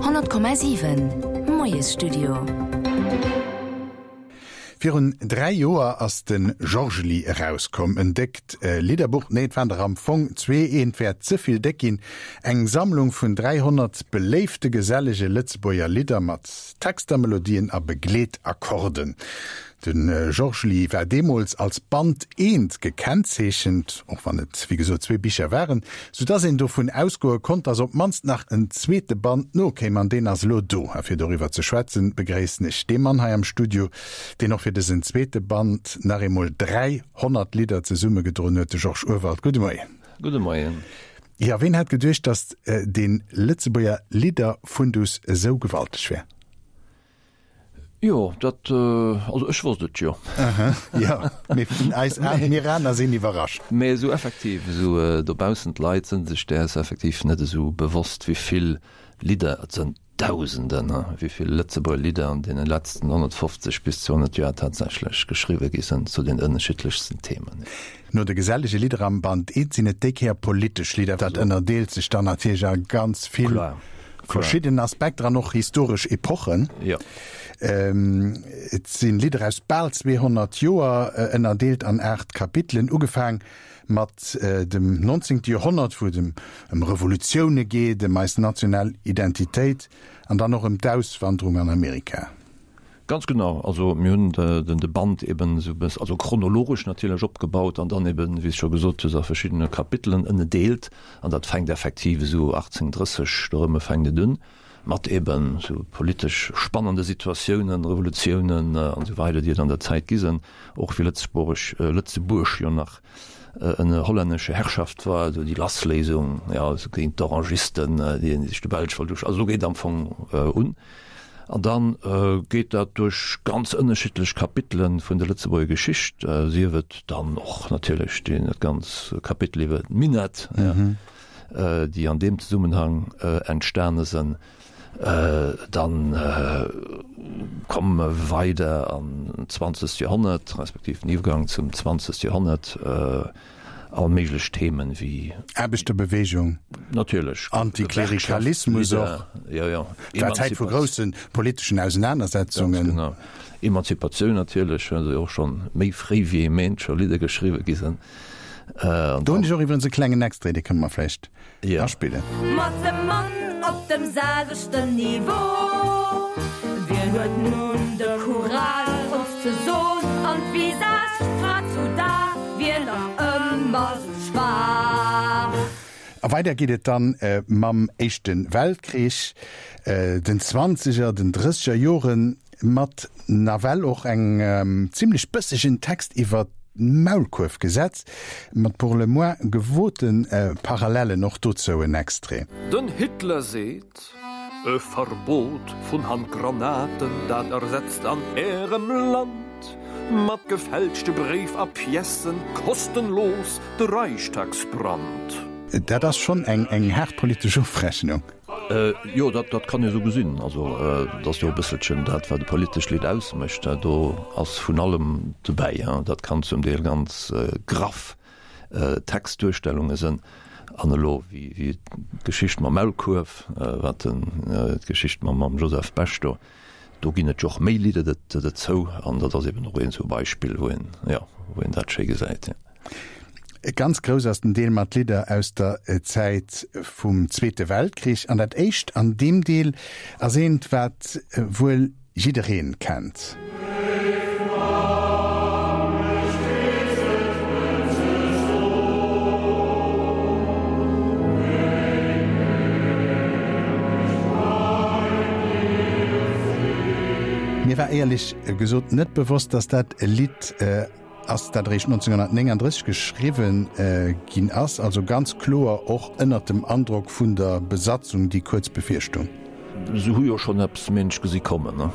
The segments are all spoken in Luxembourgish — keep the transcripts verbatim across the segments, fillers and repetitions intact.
Honnert Komma siwen, Moiesstudio. Virun dräi Joer ass de Georgely erauskomm, en déckt Lidderbuch, nee et waren der am Fong zwee, eent wär ze vill déck ginn, eng Sammlung vun dräihonnert beléifte gesellege Lëtzebuerger Lidder mat Texter, Melodien a Begleetakkorden. De Georgely war deemools als Band eent gekennzeechent, och wann et wéi gesot zwee Bicher waren, sou dass een dovun ausgoe konnt, dass op d'mannst nach en zweete Band nokéim. An deen ass elo do. A fir doriwwer ze schwätzen, begréissen ech dee Mann hei am Studio, deen och fir dësen zweete Band nach eemol dräihonnert Lidder zesummegedroen huet, de Georges Urwald. Gudde Moien. Gudde Moien. Jo, ween hätt geduecht, dass dee Lëtzebuerger Lidderfundus esou gewalteg wär? Jo, dat, also ech wosst et jo. Aha, jo, mee eis an, mir aner sinn iwwerrascht. Mee esou effektiv, esou dobaussen, d'Leit sinn sech däers effektiv net esou bewosst, wéi vill Lidder, et sënn Dausenden, wéi vill Lëtzebuerger Lidder an deene letzten honnertfofzeg bis zweehonnert Joer tatsächlech geschriwwe gi sënn zu den ënnerschiddlechsten Themen. No de gesellege Lidder am Band eent sinn et déi Kéier politesch Lidder. Dat ënnerdeelt sech dann natierlech a ganz vill verschidden Aspekter an och historesch Epochen. Jo. Et si Lidder aus bal zweehonnert Joer, ënnerdeelt an aacht Kapitelen, ugefaang mat dem nonzéngte Joerhonnert, wou et ëm Revolutioune geet, ëm eis national Identitéit an dann och ëm d'Auswanderung an Amerika. Ganz genau. Also mir hunn den de Band eben esou e bëss, also chronologesch natierlech opgebaut an dann eben, wéi s scho gesot hues, a verschiddene Kapitelen ënnedeelt. An dat fänkt effektiv esou achtzéng drësseg dorëmme fänkt et un, mat eben esou politesch spannende Situatiounen, Revolutiounen an esou weider, déi et an der Zäit gi sinn, och wéi Lëtzebuerg, Lëtzebuerg jo nach ënner hollännescher Herrschaft war, esou déi Lassléisung, jo, esou géint d'Orangisten, déi sech de Belsch wollt usch-, also do geet am Fong un. An da geet dat duerch ganz ënnerschiddlech Kapitele vun der Lëtzebuerger Geschicht, sief et dann och natierlech dee dat ganz Kapitel iwwer d'Minett, déi an deem Zesummenhang entstane sënn. Dann komme mer weider an d'zwanzegt Joerhonnert, respektiv den Iwwergang zum zwanzegt Joerhonnert. All méiglech Themen wéi. Aarbechterbewegung. Natierlech. Antiklerikalismus och. Jo, jo. War Zäit vu grousse politeschen Ausenanersetzungen. Ganz genau. Emanzipatioun natierlech, well se jo och schonn méi fréi wéi ee meent scho Lidder geschriwwe gi sinn. Do hunn ech och iwwerens e klengen Extrait, dee kënne mer vläicht aspillen. Mat dem Mann op dem selwechten Niveau. Wien huet nun de Courage ons ze son an d'Visage grad zu da wier nach ëmmer sou schwaach. A weider geet et dann mam Éischte Weltkrich, den Zwanzeger, den Drësseger Joren, mat nawell och engem zimlech bëssegen Text iwwer d'Maulkuerfgesetz, mat pour le moins gewote Parallellen. Och dozou en Extrait. Den Hitler seet, E Verbot vun Handgranaten, dat ersetzt an Ärem Land mat gefälschte Bréif a Piècen kostenlos de Reichstagsbrand. Dat ass schonn eng haart politesch Ofrechnung. Jo, dat dat kann ee sou gesinn. Also et ass jo e bësselchen dat, wat e politescht Lidd ausmécht. Do ass vun allem dobäi. Dat kann zum Deel ganz graff Textduerstellunge sënn. An elo wéi wéi d'Geschicht mam Maulkuerf, wat den d'Geschicht mam mam Joseph Bech do, do ginn et jo och méi Lidder dozou. An dat ass eben och een sou Beispill, wou een, jo, wou een dat schéi gesäit. Ganz grouss ass den Deel mat Lidder aus der Zäit vum Zweete Weltkrich. An dat éischt an deem Deel ass eent, wat wuel jiddereen kennt. Mir war éierlech gesot net bewosst, dass dat e Lidd ass, dat eréischt nonzénghonnertnénganddrësseg geschriwwen ginn ass, also ganz kloer och ënnert dem Androck vun der Besatzung, déi kuerz bevirstoung. Se hu jo schonn eppes Méinsch gesi kommen, ne?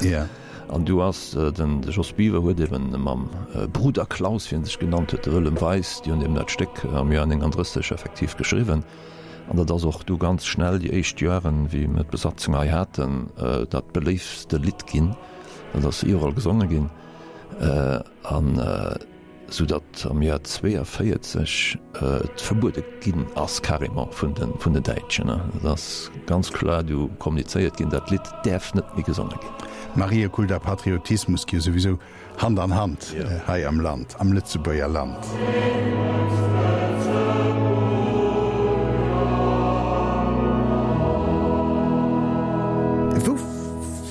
Ja. An du ass den, de Jos Biwer huet eben mam Bruder Klaus, wéi en sech genannt huet, de Wëllem Weis, déi hunn eben dat Stéck am Joer nénganddrësseg effektiv geschriwwen. An dat ass och du ganz schnell, déi éischt Joeren, wéi mir d'Besatzung hei haten, dat beléiftste Lidd ginn. Dat ass iwwerall gesonge ginn. An sou datt am Joer zwéiavéierzeg et verbuede ginn ass carrément vun de vun den Däitschen. Et ass ganz kloer du kommunizéiert ginn, dat Lidd däerf net méi gesonge ginn. Mariekult a Patriotismus gi jo souwisou Hand an Hand hei am Land, am Lëtzebuerger Land. Wou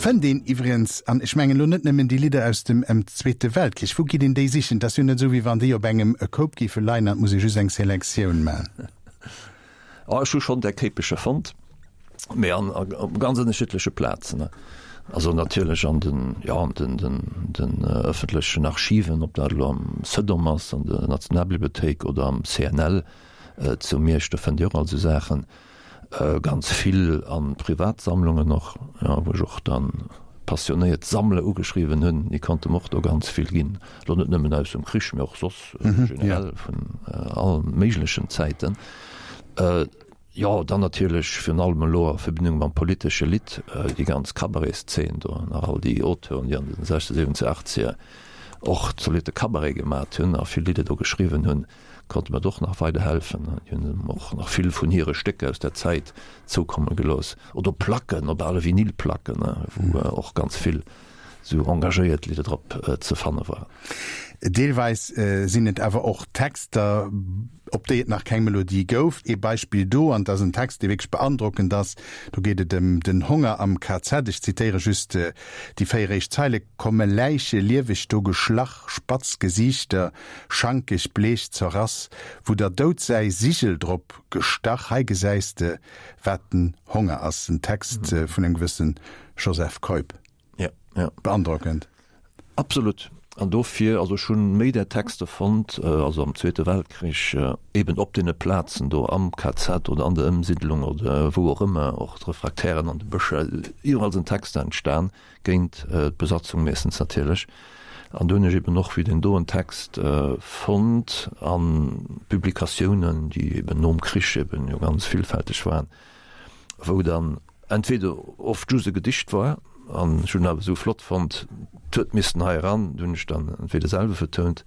fënnt een iwwregens, an ech mengen elo net nëmmen déi Lidder aus dem Zweete Weltkrich, wou geet een déi sichen? Et ass jo net esou, wéi wann déi op engem Koup géife leien an et muss ee just eng Selektioun maachen. Oh, ech hu schonn där Kéipecher fonnt, mee an op ganz ënnerschiddleche Plazen. Also natierlech an den, jo, an den, den, den ëffentlechen Archiven, ob dat elo am Cedom ass, an der Nationalbibliothéik oder am C N L zu Miersch, do fënnt Dir och all esou Saachen. Ganz vill a Privatsammlungen och, jo, wou ech och dann passionéiert Sammler ugeschriwwen hunn, déi konnte mer och do ganz vill ginn, elo net nëmmen aus dem Krich, mee och soss generell vun all méiglechen Zäiten. Jo, dann natierlech virun allem elo a Verbindung mam politesche Lidd, déi ganz Cabaretszeen do, nach all déi Auteuren, déi an den sechzeger, siwwenzeger, achtzeger och zolitte Cabaret gemat hunn a vill Lidder do geschriwwen hunn, konnte mer och nach weiderhelfen. Déi hunn och nach vill vun hire Stécker aus der Zäit zoukomme gelooss. Oder Placken, op ale Vinylplacken, wou och ganz vill esou engagéiert Lidder drop ze fanne waren. Deelweis sinn et awer och Texter, op déi et nach keng Melodie gouf. Ee Beispill do, an et ass en Text, dee wierklech beandrockend ass, do geet et ëm den Honger am K Z, ech zitéiere just déi véier éischt Zeile, Komme Läiche lieweg do geschlach, spatz Gesiichter, schankeg, bleech zerrass, wou der Doud säi Sigel drop gestach, hei gesäis de, wat den Honger ass. En Text vun engem gewësse Joseph Keup. Ja, ja. Beandrockend. Absolut. An dofir, also ech hunn méi där Texter fonnt, also am Zweete Weltkrich, eben op deene Plazen do am K Z oder an der Ëmsiddlung oder wou och ëmmer, och d'Refraktären an de Bëscher, iwwerall sinn Texter entstan, géint d'Besatzung meeschtens natierlech. An do hunn ech eben och wéi deen doen Text fonnt a Publikatiounen, déi eben nom Krich eben jo ganz villfälteg waren, wou dann entweder oft just e Gedicht war, an ech hunn awer esou flott fonnt, 't huet missten hei eran, do hunn ech dann entweder selwer vertount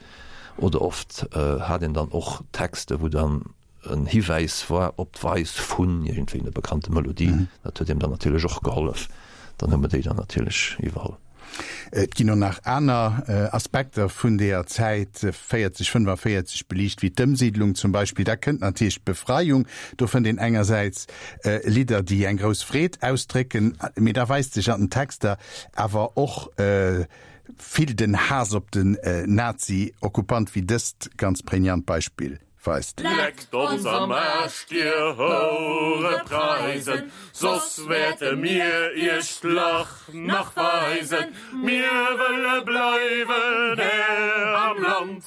oder oft hat een dann och Texter, wou dann en Hiwäis war op d'Weis vun iergendwéi enger bekannte Melodie. Dat huet eem dann natierlech och gehollef. Dann hu mer déi dann natierlech iwwerholl. Et ginn och nach aner Aspekter vun deeër Zäit véierzeg, fënnefavéierzeg beliicht, wéi d'Ëmsiidlung zum Beispill. Da kënnt natierlech d'Befreiung. Do fënnt een engersäits Lidder, déi eng grouss Freed ausdrécken, mee da weist sech an den Texter awer och vill den Haass op den Nazi-Okkupant, wéi dëst ganz prägnant Beispill weist. Leckt ons am Aarsch, dir Hourepreisen, soss wäerte mir iech d'Lach nach weisen. Mir wëlle bleiwen Här am Land,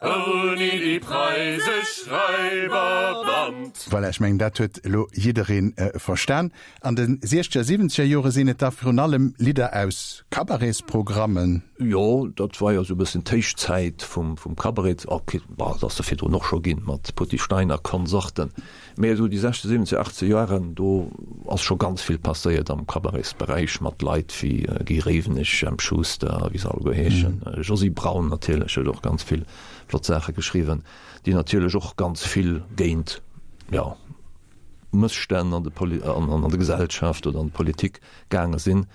ouni déi preisesch Raiberband. Voilà, ech mengen, dat huet elo jidderee verstan. An de siechzeger, siwwenzeger Jore sinn et da virun allem Lidder aus Cabaretsprogrammen. Jo, dat war jo esou e bëssen d'Héichzäit vum Cabaret. Ok, bon, et ass der virdrun och scho ginn, mat Potti Stein a Konsorten. Mee esou déi sechzeger, siwwenzeger, achtzeger Joren, do ass scho ganz vill passéiert am Cabaretsberäich, mat Leit wéi Guy Rewenig, Jemp Schuster a wéi se alleguer heeschen. Josy Braun natierlech huet och ganz vill flott Saache geschriwwen, déi natierlech och ganz vill géint, jo, Mësstänn an de an der Gesellschaft oder an der Politik gaange sinn.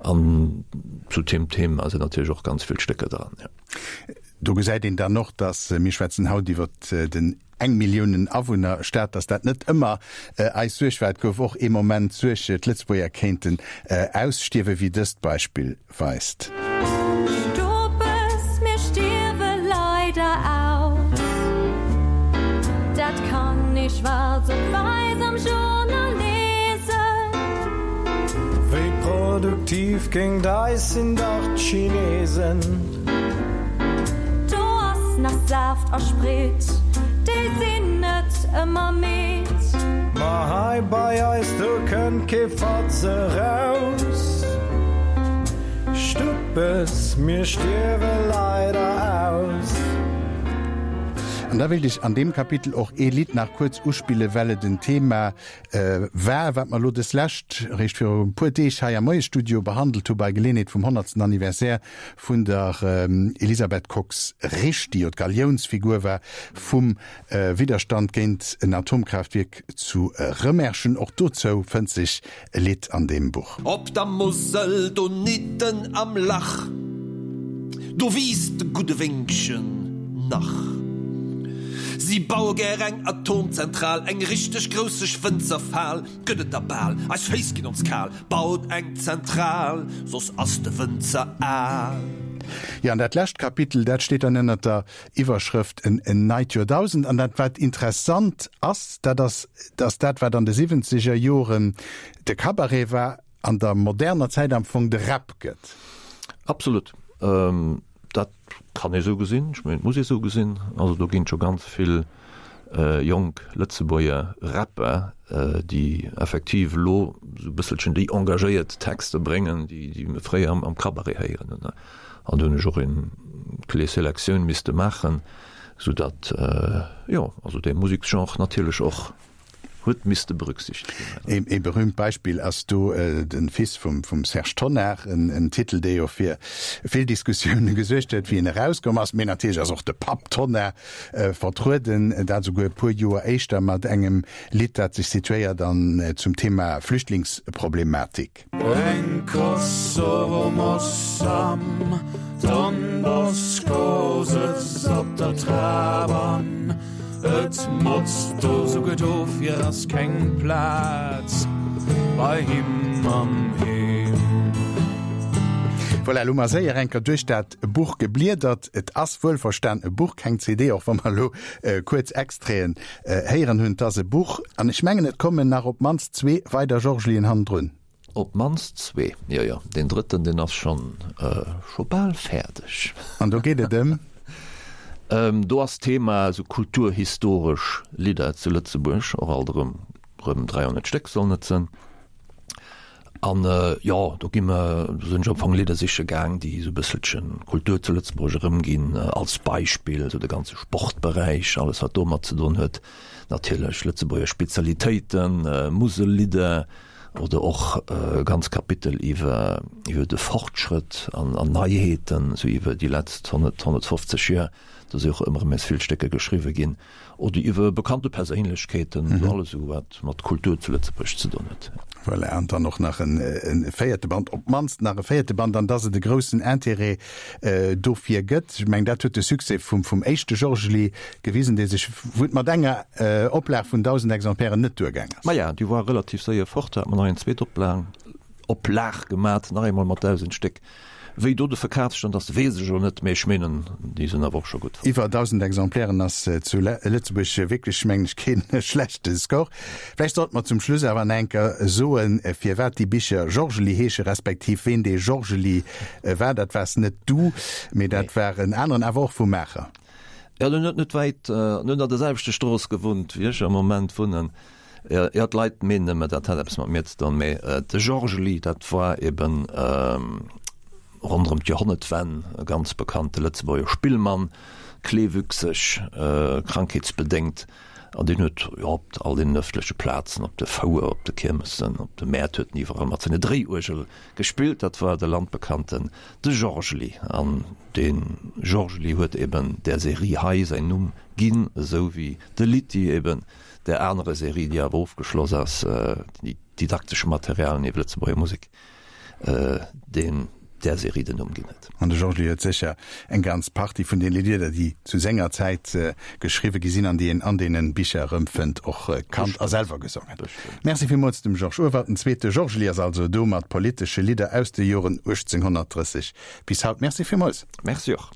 An zu deem Thema sinn natierlech och ganz vill Stécker dran, jo. Do gesäit een dann och, dass, mir schwätzen haut iwwer den eng Milliounen Awunner Staat, dass dat net ëmmer eis Suerg war. Et gouf och ee Moment Suerg, d'Lëtzebuerger kéinten ausstierwen, wéi dëst Beispill weist. Stopes, mir stierwe leider aus. Dat kann ee schwaarz op wäiss am Journal liesen. Wéi produktiv géint eis sinn dach d'Chinesen. Do ass nach Saaft a Sprit, déi sinn net ëmmer midd. Ma hei bei eis, do kënnt kee Fatz eraus. Stupes, mir stierwe leider aus. An da wéilt ech an deem Kapitel och ee Lidd nach kuerz uspillen, well et en Thema war, wat mer elo deslescht, eréischt viru e puer Deeg hei am Moiesstudio behandelt hu bei Geleeënheet vum honnertsten Anniversaire vun der Elisabeth Kox-Risch, déi jo d'Galiounsfigur war vum Widderstand géint en Atomkraaftwierk zu Rëmerschen. Och dozou fënnt sech e Lidd an deem Buch. Op der Musel donidden am Lach, do wiisst de gudde Wéngchen nach. Si baue gär eng Atomzentral, eng richteg grousseg Wënzerfal gëtt et da bal. Eis Féiss ginn ons kal, baut eng Zentral, soss ass de Wënzer al. Jo, an dat lescht Kapitel, dat steet dann ënnert der Iwwerschrëft En neit Joerdausend. An dat, wat interessant ass, dat ass, dass dat, wat an de siwwenzeger Joren de Cabaret war, an der moderner Zäit am Fong de Rap gëtt. Absolut. Dat kann ee sou gesinn, ech mengen, et muss ee sou gesinn. Also do ginn et scho ganz vill jonk Lëtzebuerger Rapper, déi effektiv elo sou e bësselchen déi engagéiert Texter bréngen, déi déi mir fréier am am Cabaret héieren hunn. An do hunn ech och eng klee Selektioun misste maachen, soudatt, jo, also dee Museksgenre natierlech och huet misste berücksichtegt ginn. Ee berühmt Beispill ass do de Fils vum Serge Tonnar, en Titel, dee jo fir vill Diskussioune gesuergt huet, wéi en erauskomm ass. Mee natierlech ass och de Papp Tonnar vertrueden, dat esouguer e puer Joer éischter mat engem Lidd, dat sech situéiert an zum Thema Flüchtlingsproblematik. Eng Kosovo-Moss am Don Bosco sëtzt op der Trap an et motzt do souguer dofir ass keng Plaz bei him am Heem. Voilà, elo hu mer séier eng Kéier duerch dat Buch gebliedert. Et ass wuelverstan e Buch, keng C D, och wa mer elo kuerz Extraiten héieren hunn. Et ass e Buch an ech mengen, et kommen nach op d'mannst zwee weider Georgelien hannendrun. Op d'mannst zwee, jo, jo. Deen drëtten, deen ass schonn, scho bal fäerdeg. An do geet et ëm? Do ass d'Thema esou kulturhistoresch Lidder zu Lëtzebuerg, och alt erëm, rëm dräihonnert Stéck sollen et sënn. An, jo, do gi mer, do sinn ech am Fong Lidder siche gaang, déi esou e bësselchen Kultur zu Lëtzebuerg erëmginn, als Beispill esou de ganze Sportberäich, alles wat domat ze doen huet, natierlech Lëtzebuerger Spezialitéiten, Musellidder, oder och e ganz Kapitel iwwer iwwer de Fortschrëtt an an Neiheeten, esou iwwer déi letzt honnert, honnertfofzeg Joer, do si och ëmmer erëm nees vill Stécker geschriwwe ginn, oder iwwer bekannte Perséinlechkeeten, esou alles esou wat mat Kultur zu Lëtzebuerg ze doen huet. Voilà, an dann och nach en e véierte Band, op d'mannst nach e véierte Band, an dass et e groussen Intérêt dofir gëtt. Ech mengen, dat huet de Succès vum vum éischte Georgely gewisen, dee sech, wou et mat enger Oplag vun dausend Exemplairen net duergaang ass. Maja, déi war relativ séier fort, da hat mer nach eng zweet Oplag, Oplag gemat, nach eemol mat dausend Stéck. Wéi do de Verkafsstand ass, weess ech elo net, mee ech meenen, déi sinn awer och scho gutt fort. Iwwer dausend Exemplairen ass zu Lëtzebuerg wierklech, mengen ech, keen schlechte Score. Vläicht sollte mer zum Schluss awer nach eng Kéier soen, firwat déi Bicher Georgely heesche respektiv ween dee Georgely war. Dat waars net du, mee dat war en aneren, awer och vu Maacher. Jo, deen huet net wäit, en huet an der selwechter Strooss gewunnt, wéi ech am Moment wunnen. Jo, d'Leit meenen ëmmer, dat hätt eppes mat mir ze doen, mee de Georgely, dat war eben ronderëm d'Joerhonnertwenn e ganz bekannte Lëtzebuerger Spillmann, kleewüchseg, krankheetsbedéngt, an deen huet, jo, op all deenen ëffentleche Plazen, op de Fouer, op de Kiermessen, op de Mäert huet en iwwerall mat senger Dréiuergel gespillt. Dat war de landbekannten de Georgely. An de Georgely huet eben där Serie hei säin Numm ginn, esou wéi de Litty eben där anere Serie, déi awer ofgeschloss ass, déi didaktesch Materialien iwwer Lëtzebuerger Musek, deen där Serie den Numm ginn huet. An de Georges huet sécher eng ganz Partie vun deene Lidder, déi zu senger Zäit geschriwwe gi sinn an déi een an deene Bicher erëmfënnt, och kannt a selwer gesongen. Merci villmools dem Georges Urwald. Den zweete Georgely ass also do mat politesche Lidder aus de Joren uechtzénghonnertdrësseg bis haut. Merci villmools. Merci och.